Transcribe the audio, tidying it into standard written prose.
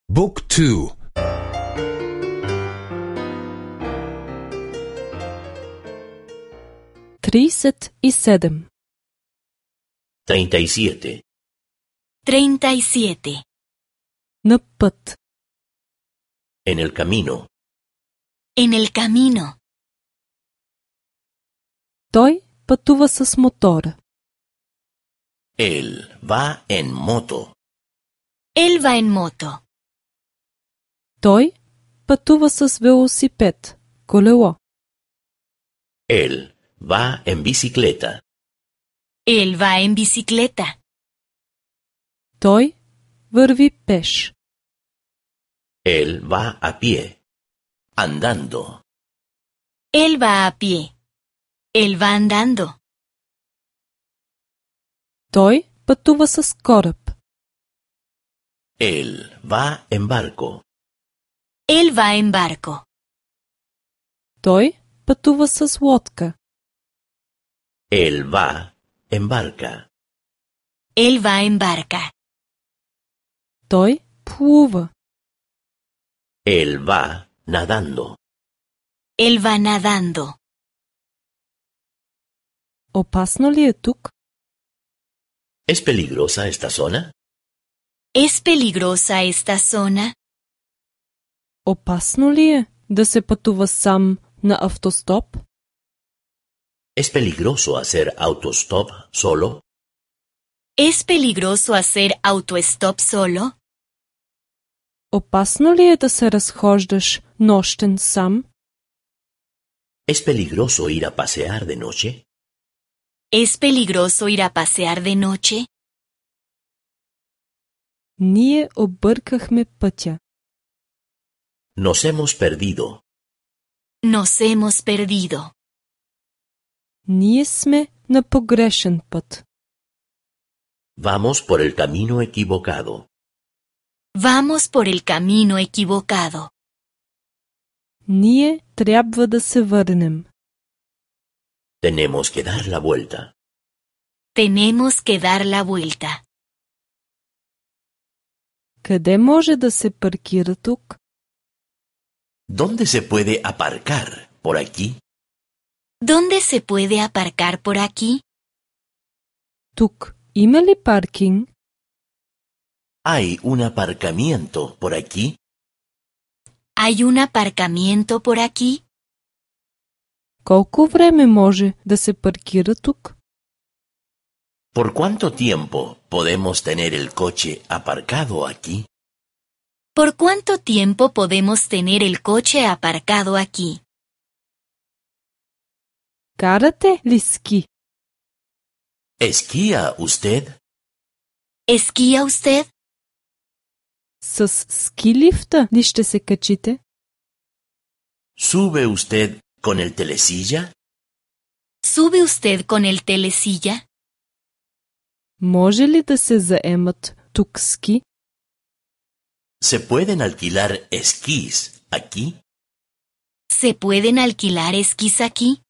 Book 2. 37. 37. 37. На път. En el camino. En el camino. Той пътува с мотора. Él va en moto. Él va en moto. Той пътува с велосипед, колело. Él va en bicicleta. Él va en bicicleta. Той върви пеш. Él va a pie. Andando. Él va a pie. Él va andando. Той пътува с кораб. Él va en barco. Él va en barco. Той пътува с лодка. Él va en barca. Él va en barca. Той плува. Él va nadando. Él va nadando. Опасно ли е тук? ¿Es peligrosa esta zona? ¿Es peligrosa esta zona? Опасно ли е да се пътува сам на автостоп? ¿Es peligroso hacer autostop solo? ¿Es peligroso hacer autostop solo? Опасно ли е да се разхождаш нощен сам? ¿Es peligroso ir a pasear de noche? ¿Es peligroso ir a pasear de noche? Ние объркахме пътя. Nos hemos perdido. Nos hemos perdido. Ние сме на погрешен път. Vamos por el camino equivocado. Vamos por el camino equivocado. Ние трябва да се върнем. Tenemos que dar la vuelta. Tenemos que dar la vuelta. Къде може да се паркира тук? ¿Dónde se puede aparcar? ¿Por aquí? ¿Dónde se puede aparcar por aquí? Тук има ли паркинг? ¿Hay un aparcamiento por aquí? ¿Hay un aparcamiento por aquí? Колко време може да се паркира тук? ¿Por cuánto tiempo podemos tener el coche aparcado aquí? ¿Por cuánto tiempo podemos tener el coche aparcado aquí? Карате ли ски? ¿Esquía usted? ¿Esquía usted? С ски лифта ли ще се качите? ¿Sube usted con el telesilla? ¿Sube usted con el telesilla? Може ли да се заемат тук ски? ¿Se pueden alquilar esquís aquí? ¿Se pueden alquilar esquís aquí?